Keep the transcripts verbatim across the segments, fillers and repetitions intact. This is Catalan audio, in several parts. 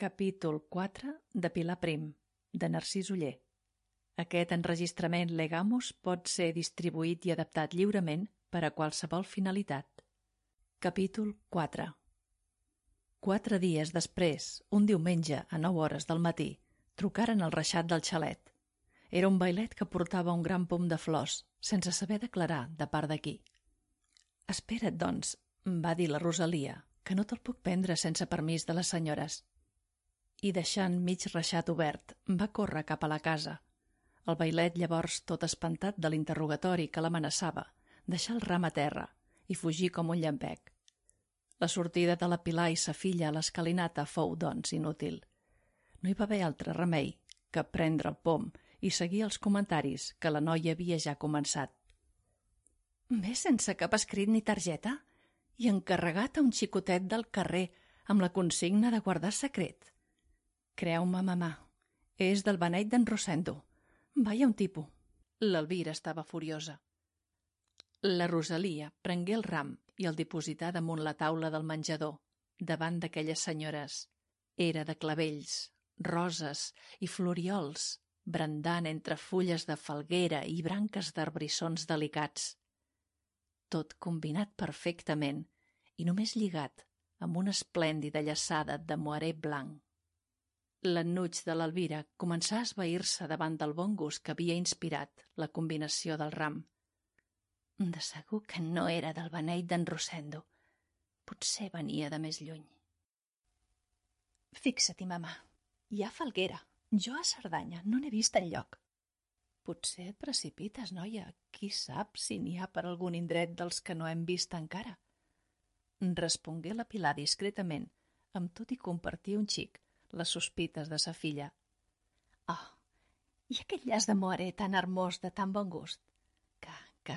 Capítol quatre de Pilar Prim, de Narcís Oller. Aquest enregistrament Legamus pot ser distribuït i adaptat lliurement per a qualsevol finalitat. Capítol quatre. Quatre dies després, un diumenge a nou hores del matí, trucaren al reixat del xalet. Era un bailet que portava un gran pom de flors, sense saber declarar de part de qui. «Espera't, doncs», va dir la Rosalia, «que no te'l puc prendre sense permís de les senyores». I deixant mig reixat obert, va córrer cap a la casa. El bailet llavors, tot espantat de l'interrogatori que l'amenaçava, deixà el ram a terra i fugí com un llampec. La sortida de la Pilar i sa filla a l'escalinata fou, doncs, inútil. No hi va haver altre remei que prendre el pom i seguir els comentaris que la noia havia ja començat. «Ve sense cap escrit ni targeta i encarregat a un xicotet del carrer amb la consigna de guardar secret. Creu-me, mamà, és del beneit d'en Rosendo. Vaya un tipus». L'Elvira estava furiosa. La Rosalia prengué el ram i el diposità damunt la taula del menjador, davant d'aquelles senyores. Era de clavells, roses i floriols, brandant entre fulles de falguera i branques d'arbrissons delicats. Tot combinat perfectament i només lligat amb una esplèndida llaçada de moiré blanc. L'ennuig de l'Elvira començà a esvair-se davant del bon gust que havia inspirat la combinació del ram. De segur que no era del beneit d'en Rosendo. Potser venia de més lluny. «Fixa-t'hi, mamà, hi ha falguera. Jo a Cerdanya no n'he vist enlloc». «Potser et precipites, noia. Qui sap si n'hi ha per algun indret dels que no hem vist encara?» Respongué la Pilar discretament, amb tot i compartir un xic les sospites de sa filla. «Oh, i aquest llaç de moiré tan hermós de tan bon gust? Que, que,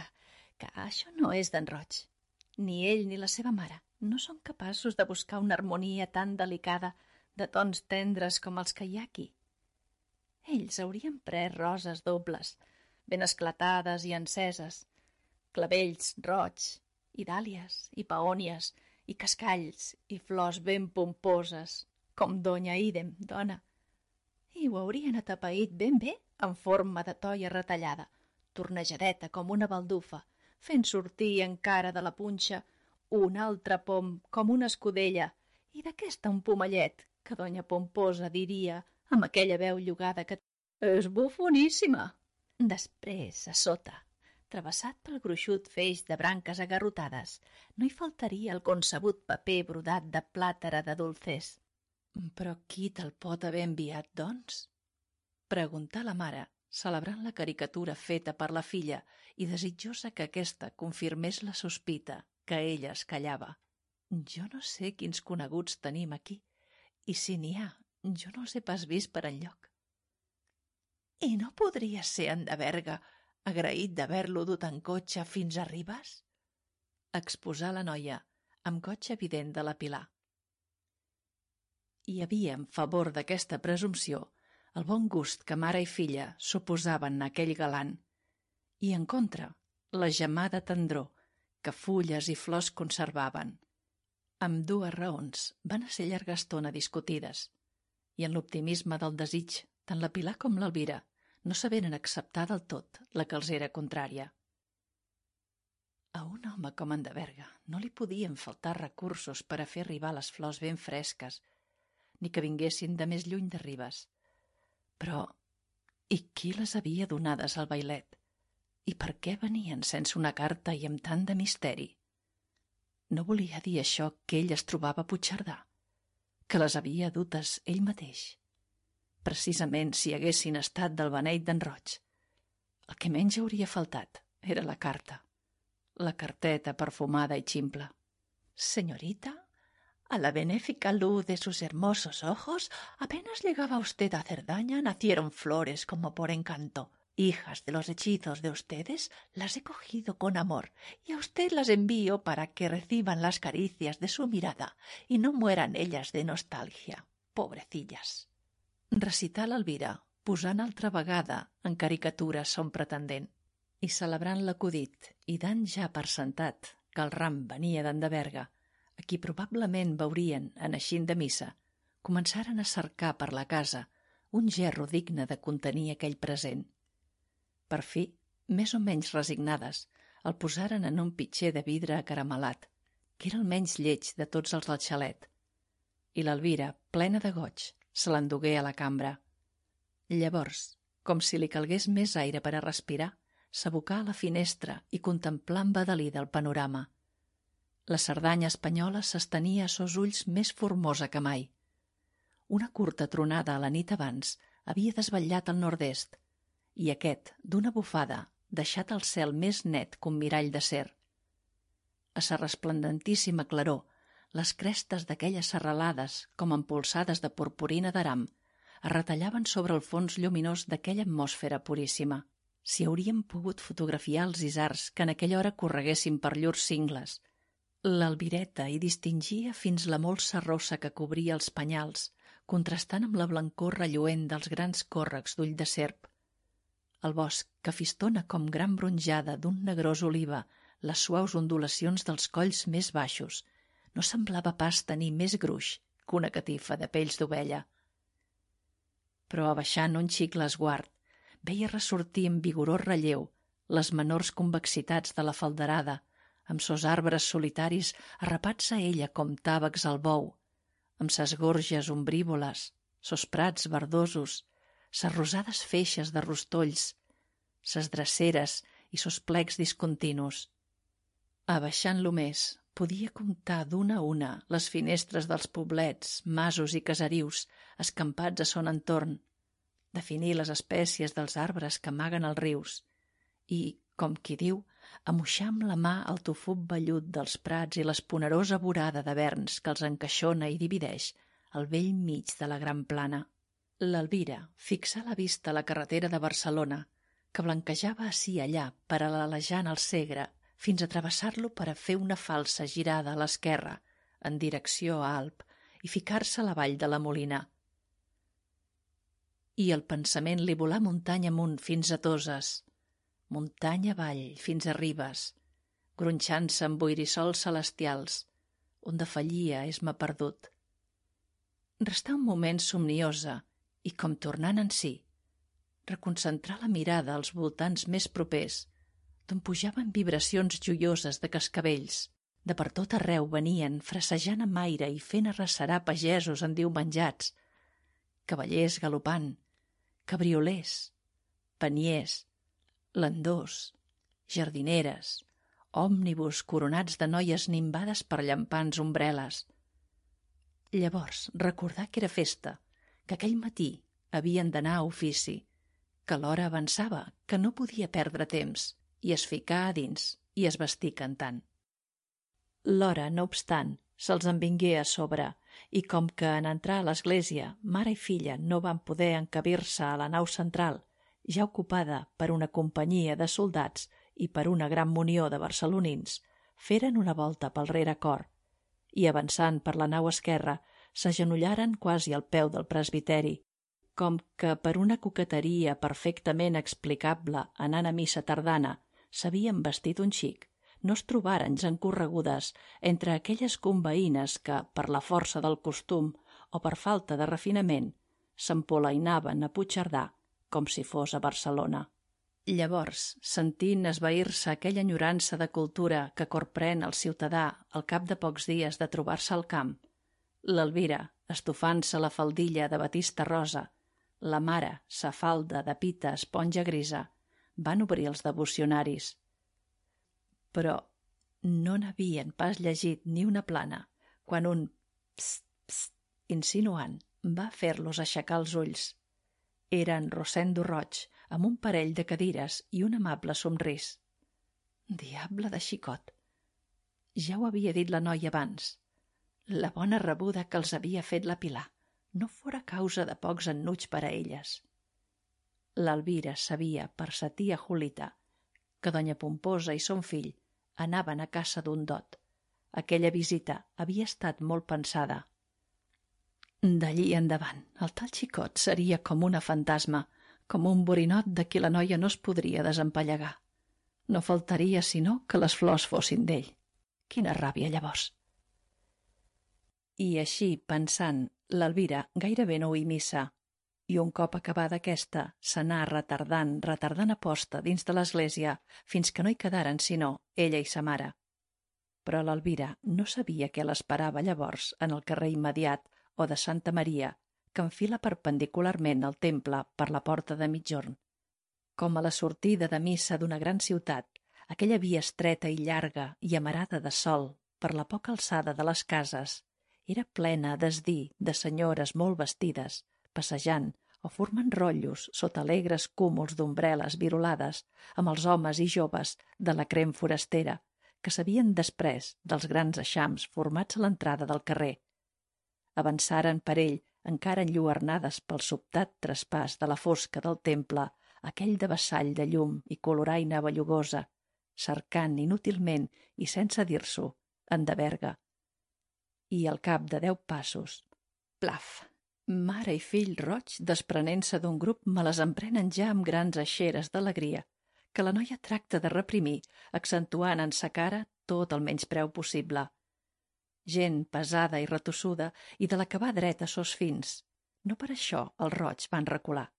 que això no és d'en Roig. Ni ell ni la seva mare no són capaços de buscar una harmonia tan delicada de tons tendres com els que hi ha aquí. Ells haurien pres roses dobles, ben esclatades i enceses, clavells roig, i dàlies, i peònies, i cascalls, i flors ben pomposes, com donya Idem, dona, i ho haurien atapeït ben bé en forma de toia retallada, tornejadeta com una baldufa, fent sortir encara de la punxa un altre pom com una escudella i d'aquesta un pomellet que donya Pomposa diria amb aquella veu llogada que «És bufoníssima!». Després, a sota, travessat pel gruixut feix de branques agarrotades, no hi faltaria el concebut paper brodat de plàtera de dulcers. «Però qui te'l pot haver enviat, doncs?», preguntà la mare, celebrant la caricatura feta per la filla i desitjosa que aquesta confirmés la sospita que ella es callava. «Jo no sé quins coneguts tenim aquí, i si n'hi ha, jo no els he pas vist per enlloc». «I no podria ser en de Berga, agraït d'haver-lo dut en cotxe fins a Ribes?», exposà la noia, amb goig evident de la Pilar. Hi havia en favor d'aquesta presumpció el bon gust que mare i filla suposaven a aquell galant, i en contra la gemada tendror que fulles i flors conservaven. Amb dues raons van ser llarga estona discutides, i en l'optimisme del desig tant la Pilar com l'Elvira no saberen acceptar del tot la que els era contrària. A un home com en de Berga no li podien faltar recursos per a fer arribar les flors ben fresques, ni que vinguessin de més lluny de Ribes. Però, i qui les havia donades al bailet? I per què venien sense una carta i amb tant de misteri? No volia dir això que ell es trobava a Puigcerdà, que les havia dutes ell mateix. Precisament si haguessin estat del beneit d'en Roig, el que menys hauria faltat era la carta, la carteta perfumada i ximple. «Señorita, a la benéfica luz de sus hermosos ojos, apenas llegaba usted a Cerdaña, nacieron flores como por encanto. Hijas de los hechizos de ustedes, las he cogido con amor, y a usted las envío para que reciban las caricias de su mirada y no mueran ellas de nostalgia, pobrecillas». Recità l'Elvira, posant altra vegada en caricatura son pretendent, i celebrant l'acudit i dant ja per sentat que el ram venia d'en de Berga, a qui probablement veurien en eixint de missa, començaren a cercar per la casa un gerro digne de contenir aquell present. Per fi, més o menys resignades, el posaren en un pitxer de vidre acaramelat, que era el menys lleig de tots els del xalet, i l'Elvira, plena de goig, se l'endugué a la cambra. Llavors, com si li calgués més aire per a respirar, s'abocà a la finestra i contemplà embadalida el panorama. La Cerdanya espanyola s'estenia a sos ulls més formosa que mai. Una curta tronada a la nit abans havia desvetllat el nord-est, i aquest, d'una bufada, deixat el cel més net que un mirall d'acer. A sa resplendentíssima claror, les crestes d'aquelles serralades, com empolsades de purpurina d'aram, es retallaven sobre el fons lluminós d'aquella atmosfera puríssima. Si hauríem pogut fotografiar els isars que en aquella hora correguessin per llurs cingles. L'Albireta hi distingia fins la molsa rossa que cobria els penyals, contrastant amb la blancor relluent dels grans còrrecs d'ull de serp. El bosc, que fistona com gran bronjada d'un negrós oliva les suaus ondulacions dels colls més baixos, no semblava pas tenir més gruix que una catifa de pells d'ovella. Però abaixant un xic l'esguard, veia ressortir en vigorós relleu les menors convexitats de la falderada, amb sos arbres solitaris arrapats a ella com tàvecs al bou, amb ses gorges ombrívoles, sos prats verdosos, ses rosades feixes de rostolls, ses dreceres i sos plecs discontinus. Abaixant-lo més, podia comptar d'una a una les finestres dels poblets, masos i caserius escampats a son entorn, definir les espècies dels arbres que amaguen els rius i, com qui diu, amoixar amb la mà el tofut vellut dels prats i l'esponerosa vorada de verns que els encaixona i divideix al vell mig de la gran plana. L'Elvira fixà la vista a la carretera de Barcelona, que blanquejava ací i allà paral·lelejant el Segre fins a travessar-lo per a fer una falsa girada a l'esquerra, en direcció a Alp, i ficar-se a la vall de la Molina. I el pensament li volà muntanya amunt fins a Toses, muntanya avall fins a Ribes, gronxant-se amb boirissols celestials, on defallia és-me perdut. Restà un moment somniosa i, com tornant en si, reconcentrar la mirada als voltants més propers, d'on pujaven vibracions joioses de cascavells. De per tot arreu venien, frasejant amb aire i fent arrecerar pagesos endiumenjats, cavallers galopant, cabriolers, peniers, landors, jardineres, òmnibus coronats de noies nimbades per llampants ombreles. Llavors recordà que era festa, que aquell matí havien d'anar a ofici, que l'hora avançava, que no podia perdre temps, i es ficà a dins i es vestí cantant. L'hora, no obstant, se'ls en vingué a sobre, i com que en entrar a l'església mare i filla no van poder encabir-se a la nau central, ja ocupada per una companyia de soldats i per una gran munió de barcelonins, feren una volta pel rerecor i, avançant per la nau esquerra, s'agenollaren quasi al peu del presbiteri, com que per una coqueteria perfectament explicable anant a missa tardana s'havien vestit un xic, no es trobaren gens corregudes entre aquelles conveïnes que, per la força del costum o per falta de refinament, s'empolainaven a Puigcerdà com si fos a Barcelona. Llavors, sentint esvair-se aquella enyorança de cultura que corprèn el ciutadà al cap de pocs dies de trobar-se al camp, l'Elvira, estofant-se la faldilla de batista rosa, la mare, sa falda de pita esponja grisa, van obrir els devocionaris. Però no n'havien pas llegit ni una plana quan un pst, pst, insinuant va fer-los aixecar els ulls. Era en Rosendo Roig, amb un parell de cadires i un amable somrís. Diable de xicot! Ja ho havia dit la noia abans. La bona rebuda que els havia fet la Pilar no fora causa de pocs ennuig per a elles. L'Elvira sabia per sa tia Julita que doña Pomposa i son fill anaven a casa d'un dot. Aquella visita havia estat molt pensada. D'allí endavant, el tal xicot seria com una fantasma, com un borinot de qui la noia no es podria desempallegar. No faltaria sinó que les flors fossin d'ell. Quina ràbia, llavors! I així, pensant, l'Elvira gairebé no oí missa, i un cop acabada aquesta s'anà retardant, retardant a posta dins de l'església fins que no hi quedaren sinó ella i sa mare. Però l'Elvira no sabia què l'esperava llavors en el carrer immediat o de Santa Maria, que enfila perpendicularment al temple per la porta de migjorn. Com a la sortida de missa d'una gran ciutat, aquella via estreta i llarga i amarada de sol per la poca alçada de les cases era plena, desdir, de senyores molt vestides, passejant o formant rotllos sota alegres cúmuls d'ombrel·les virolades amb els homes i joves de la crem forastera que s'havien desprès dels grans eixams formats a l'entrada del carrer. Avançaren per ell, encara enlluernades pel sobtat traspàs de la fosca del temple, aquell de vessall de llum i coloraina bellugosa, cercant inútilment i sense dir-s'ho, en de Berga. I al cap de deu passos, plaf! Mare i fill roig, desprenent-se d'un grup, me les emprenen ja amb grans eixeres d'alegria, que la noia tracta de reprimir, accentuant en sa cara tot el menyspreu possible. Gent pesada i retossuda i de la que va dreta a sos fins. No per això els roig van recular.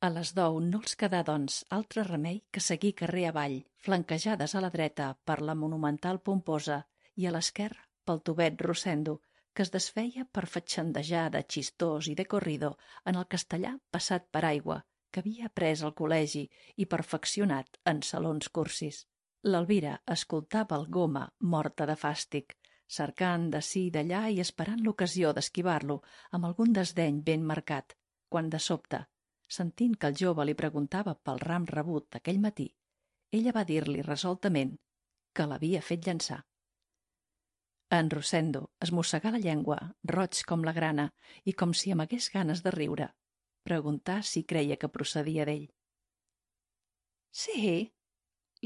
A les deu no els quedà, doncs, altre remei que seguir carrer avall, flanquejades a la dreta per la monumental Pomposa i a l'esquerra pel Tubet Rosendo, que es desfeia per fatxendejar de xistós i de corrido en el castellà passat per aigua, que havia après al col·legi i perfeccionat en salons cursis. L'Elvira escoltava el Goma, morta de fàstic, cercant d'ací i d'allà i esperant l'ocasió d'esquivar-lo amb algun desdeny ben marcat, quan de sobte, sentint que el jove li preguntava pel ram rebut aquell matí, ella va dir-li resoltament que l'havia fet llançar. En Rosendo es mossegà la llengua, roig com la grana, i com si amagués ganes de riure. Preguntà si creia que procedia d'ell. Sí,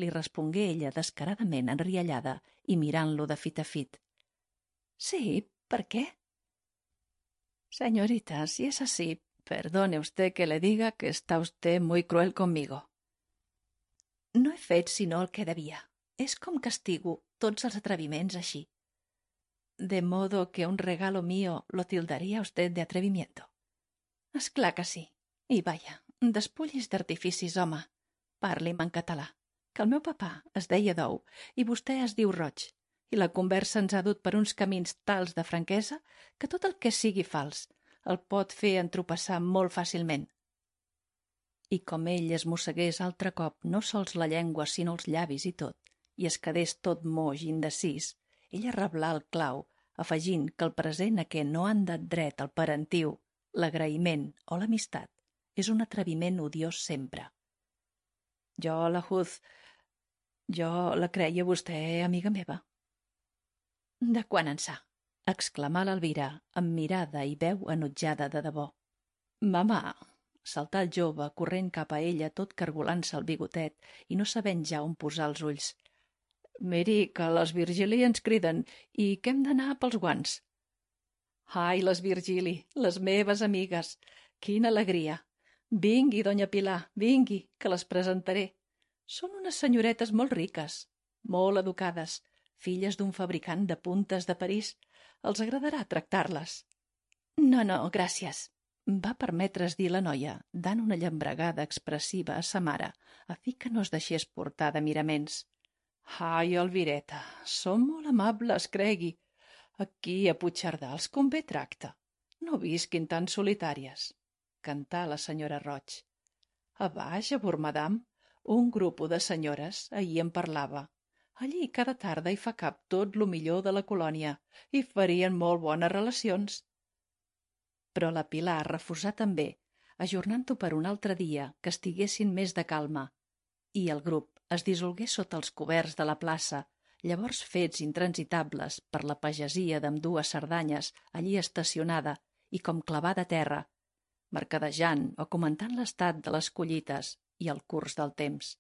li respongué ella descaradament enriallada i mirant-lo de fit a fit. Sí, ¿per qué? Señorita, si es así, perdone usted que le diga que está usted muy cruel conmigo. No he fet sinó el que devia. És com castigo tots els atreviments així. De modo que un regalo mío lo tildaría usted de atrevimiento. Esclar que sí. I vaja, despullis d'artificis, home. Parli'm en català, que el meu papà es deia Dou i vostè es diu Roig, i la conversa ens ha dut per uns camins tals de franquesa que tot el que sigui fals el pot fer entropassar molt fàcilment. I com ell es mossegués altre cop no sols la llengua sinó els llavis i tot, i es quedés tot moix i indecís, ella reblà el clau, afegint que el present a què no han dat dret el parentiu, l'agraïment o l'amistat és un atreviment odiós sempre. Jo la juz... jo la creia vostè amiga meva. De quan ençà? Exclamà l'Elvira amb mirada i veu enutjada de debò. Mamà, saltà el jove corrent cap a ella tot cargolant-se el bigotet i no sabent ja on posar els ulls. Miri, que les Virgili ens criden i que hem d'anar pels guants. Ai, les Virgili, les meves amigues, quina alegria! Vingui, donya Pilar, vingui, que les presentaré. Són unes senyoretes molt riques, molt educades, filles d'un fabricant de puntes de París. Els agradarà tractar-les. No, no, gràcies, va permetre's dir la noia, dant una llambregada expressiva a sa mare, a fi que no es deixés portar de miraments. Ai, Elvireta, són molt amables, cregui. Aquí a Puigcerdà els convé tracte. No visquin tan solitàries, cantà la senyora Roig. A baix, a Bormadam, un grup de senyores ahir en parlava. Allí cada tarda hi fa cap tot lo millor de la colònia i farien molt bones relacions. Però la Pilar refusà també, ajornant-ho per un altre dia que estiguessin més de calma, i el grup es dissolgué sota els coberts de la plaça, llavors fets intransitables per la pagesia d'ambdues Cerdanyes allí estacionada i com clavada a terra, mercadejant o comentant l'estat de les collites i el curs del temps.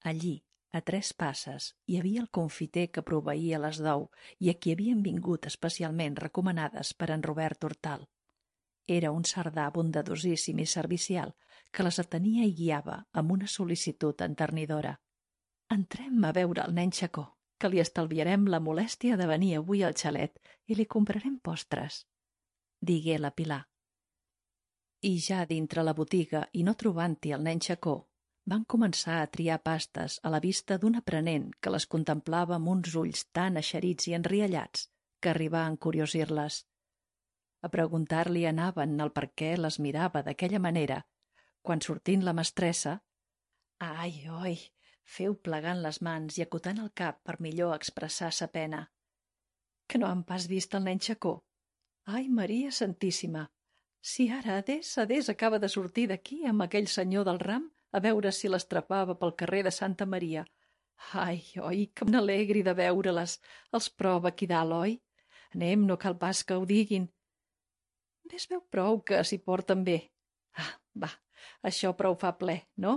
Allí, a tres passes, hi havia el confiter que proveïa les dou i a qui havien vingut especialment recomanades per en Robert Hortal. Era un cerdà bondadosíssim i servicial que les atenia i guiava amb una sol·licitud enternidora. Entrem a veure el nen Xacó, que li estalviarem la molèstia de venir avui al xalet i li comprarem postres, digué la Pilar. I ja dintre la botiga i no trobant-hi el nen xacó, van començar a triar pastes a la vista d'un aprenent que les contemplava amb uns ulls tan eixerits i enriallats que arribà a encuriosir-les. A preguntar-li anaven el per què les mirava d'aquella manera, quan sortint la mestressa, ai, oi, feu plegant les mans i acotant el cap per millor expressar sa pena. Que no han pas vist el nen xacó? Ai, Maria Santíssima! Si ara Adés, Adés acaba de sortir d'aquí amb aquell senyor del ram a veure si l'estrapava pel carrer de Santa Maria. Ai, oi, que m'alegri de veure-les. Els prova aquí dalt, oi? Anem, no cal pas que ho diguin. Ves veu prou que s'hi porten bé. Ah, va, això prou fa ple, no?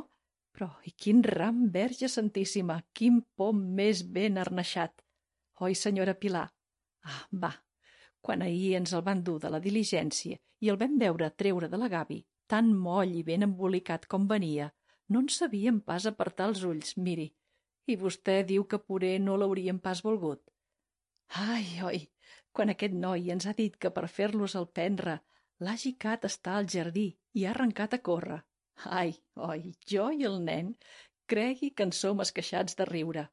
Però, i quin ram, Verge Santíssima, quin pom més ben arneixat. Oi, senyora Pilar? Ah, va, quan ahir ens el van dur de la diligència i el vam veure treure de la gavi, tan moll i ben embolicat com venia, no en sabíem pas apartar els ulls, miri, i vostè diu que poder no l'hauríem pas volgut. Ai, oi, quan aquest noi ens ha dit que per fer-los el prendre l'ha gicat estar al jardí i ha arrencat a córrer. Ai, oi, jo i el nen, cregui que en som esqueixats de riure.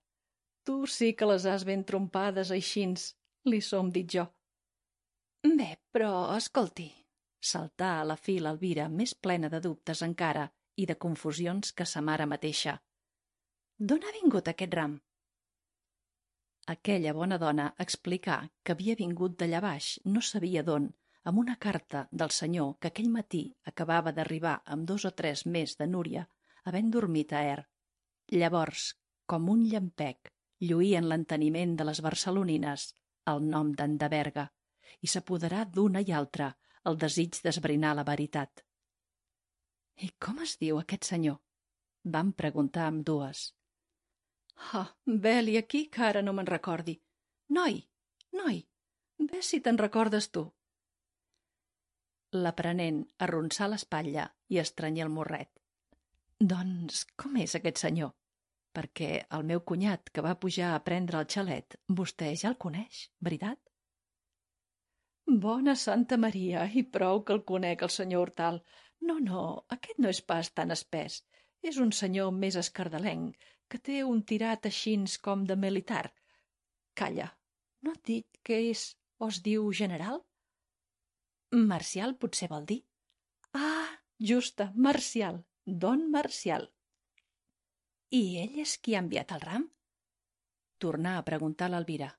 Tu sí que les has ben trompades aixins, li som dit jo. Bé, però, escolti, saltà a la fi l'Elvira més plena de dubtes encara i de confusions que sa mare mateixa. D'on ha vingut aquest ram? Aquella bona dona explicà que havia vingut d'allà baix, no sabia d'on, amb una carta del senyor que aquell matí acabava d'arribar amb dos o tres més de Núria, havent dormit a Er. Llavors, com un llampec, lluí en l'enteniment de les barcelonines el nom d'Endeberga i s'apoderà d'una i altra el desig d'esbrinar la veritat. I com es diu aquest senyor? Vam preguntar amb dues. Ah, vel-hi aquí que ara no me'n recordi. Noi, noi, ves si te'n recordes tu. L'aprenent arronsà l'espatlla i estranyé el morret. Doncs com és aquest senyor? Perquè el meu cunyat que va pujar a prendre el xalet, vostè ja el coneix, veritat? Bona Santa Maria, i prou que el conec, el senyor Hortal. No, no, aquest no és pas tan espès. És un senyor més escardalenc, que té un tirat aixins com de militar. Calla, no et dit que és o es diu general? Marcial potser vol dir? Ah, justa, Marcial, don Marcial. I ell és qui ha enviat el ram? Tornà a preguntar l'Elvira.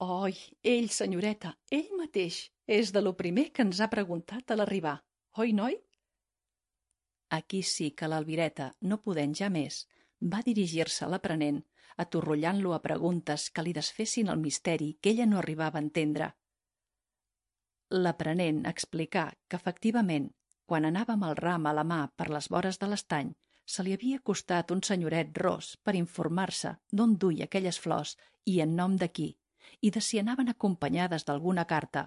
Oi, ell, senyoreta, ell mateix, és de lo primer que ens ha preguntat a l'arribar. Oi, noi? Aquí sí que l'Elvireta, no podent ja més, va dirigir-se a l'aprenent, atorrollant-lo a preguntes que li desfessin el misteri que ella no arribava a entendre. L'aprenent explicà que, efectivament, quan anava amb el ram a la mà per les vores de l'estany, se li havia acostat un senyoret ros per informar-se d'on duia aquelles flors i en nom de qui, i de si anaven acompanyades d'alguna carta,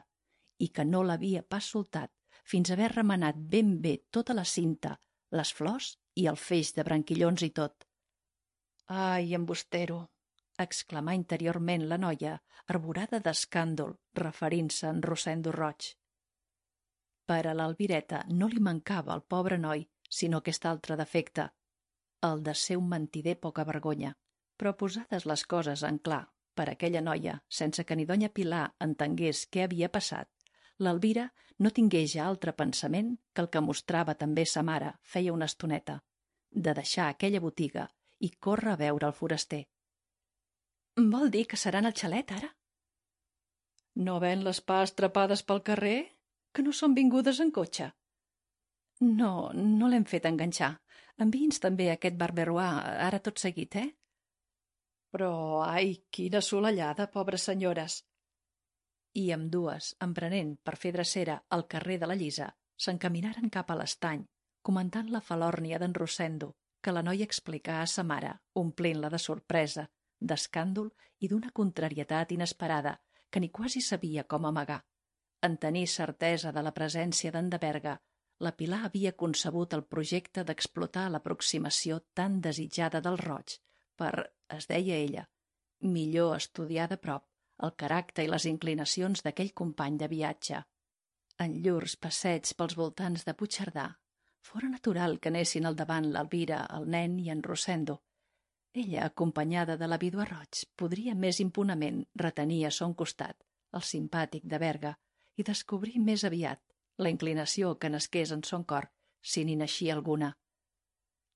i que no l'havia pas soltat fins a haver remenat ben bé tota la cinta, les flors i el feix de branquillons i tot. Ai, embustero! Exclamà interiorment la noia, arborada d'escàndol, referint-se a en Rosendo Roig. Per a l'Elvireta no li mancava al pobre noi, sinó aquest altre defecte, el de ser un mentider poca vergonya. Però posades les coses en clar per aquella noia, sense que ni donya Pilar entengués què havia passat, l'Elvira no tingué ja altre pensament que el que mostrava també sa mare feia una estoneta, de deixar aquella botiga i córrer a veure el foraster. Vol dir que seran al xalet, ara? No ven les pas trapades pel carrer? Que no són vingudes en cotxe? No, no l'hem fet enganxar. Enviï'ns també aquest barberoà, ara tot seguit, eh? Però, ai, quina solellada, pobres senyores! I amb dues, emprenent per fer drecera al carrer de la Llisa, s'encaminaren cap a l'estany, comentant la falòrnia d'en Rosendo, que la noia explicà a sa mare, omplint-la de sorpresa, d'escàndol i d'una contrarietat inesperada que ni quasi sabia com amagar. En tenir certesa de la presència d'Endeberga, la Pilar havia concebut el projecte d'explotar l'aproximació tan desitjada del Roig per, es deia ella, millor estudiar de prop el caràcter i les inclinacions d'aquell company de viatge. En llurs passeigs pels voltants de Puigcerdà, fora natural que anessin al davant l'Elvira, el nen i en Rosendo. Ella, acompanyada de la vídua Roig, podria més impunament retenir a son costat el simpàtic de Berga i descobrir més aviat la inclinació que nasqués en son cor, si n'hi naixia alguna.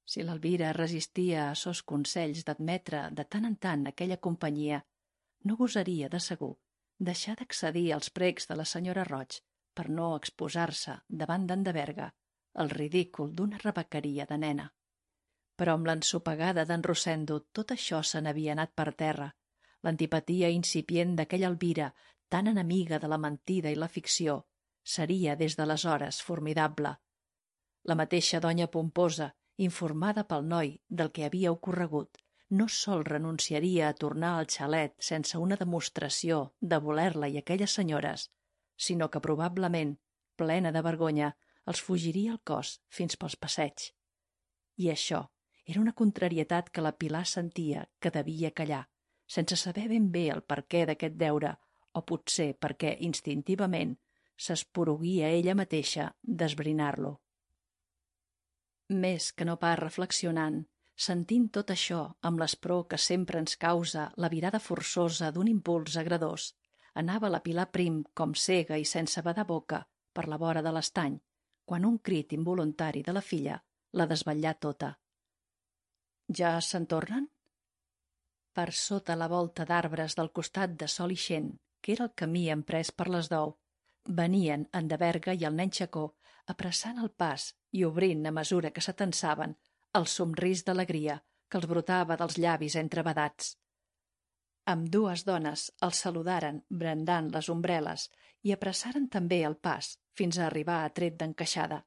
Si l'Elvira resistia a sos consells d'admetre de tant en tant aquella companyia, no gosaria, de segur, deixar d'accedir als precs de la senyora Roig per no exposar-se davant d'en de Berga el ridícul d'una rebequeria de nena. Però amb l'ensopegada d'en Rosendo tot això se n'havia anat per terra. L'antipatia incipient d'aquella Elvira, tan enemiga de la mentida i la ficció, seria des d'aleshores formidable. La mateixa donya Pomposa, informada pel noi del que havia ocorregut, no sol renunciaria a tornar al xalet sense una demostració de voler-la i aquelles senyores, sinó que probablement, plena de vergonya, els fugiria el cos fins pels passeigs. I això era una contrarietat que la Pilar sentia que devia callar, sense saber ben bé el perquè d'aquest deure, o potser perquè instintivament s'esporuguia ella mateixa d'esbrinar-lo. Més que no pas reflexionant, sentint tot això amb l'espror que sempre ens causa la virada forçosa d'un impuls agredós, anava la Pilar Prim com cega i sense badar boca per la vora de l'estany, quan un crit involuntari de la filla la desvetllà tota. Ja se'n tornen? Per sota la volta d'arbres del costat de Sol Ixent, que era el camí emprès per les deu, venien en de Berga i el nen Xacó apressant el pas i obrint, a mesura que s'atansaven, el somrís d'alegria que els brotava dels llavis entrebadats. Ambdues dones els saludaren brandant les ombrel·les i apressaren també el pas fins a arribar a tret d'encaixada.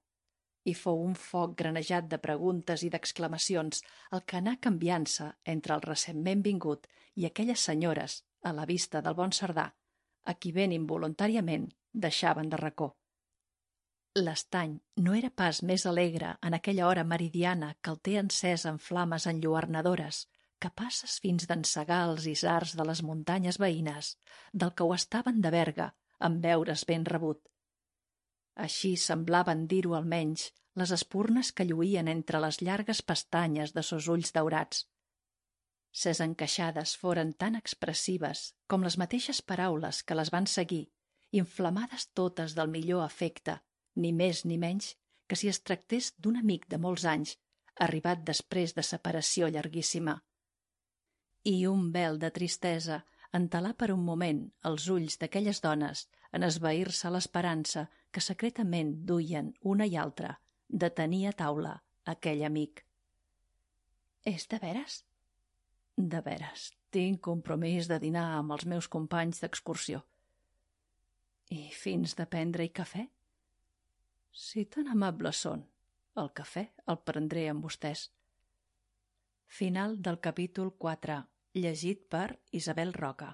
I fou un foc granejat de preguntes i d'exclamacions el que anà canviant-se entre el recentment vingut i aquelles senyores, a la vista del bon Cerdà, a qui ben involuntàriament deixaven de racó. L'estany no era pas més alegre en aquella hora meridiana que el té encès en flames enlluernadores, capaces fins d'encegar els isars de les muntanyes veïnes, del que ho estaven de Berga, en veure's ben rebut. Així semblaven dir-ho almenys les espurnes que lluïen entre les llargues pestanyes de sos ulls daurats. Ses encaixades foren tan expressives com les mateixes paraules que les van seguir, inflamades totes del millor afecte, ni més ni menys que si es tractés d'un amic de molts anys, arribat després de separació llarguíssima. I un vel de tristesa entelà per un moment els ulls d'aquelles dones en esvair-se l'esperança que secretament duien una i altra de tenir a taula aquell amic. És de veres? De veres, tinc compromís de dinar amb els meus companys d'excursió. I fins de prendre-hi cafè? Si tan amables són, el cafè el prendré amb vostès. Final del capítol quatre, llegit per Isabel Roca.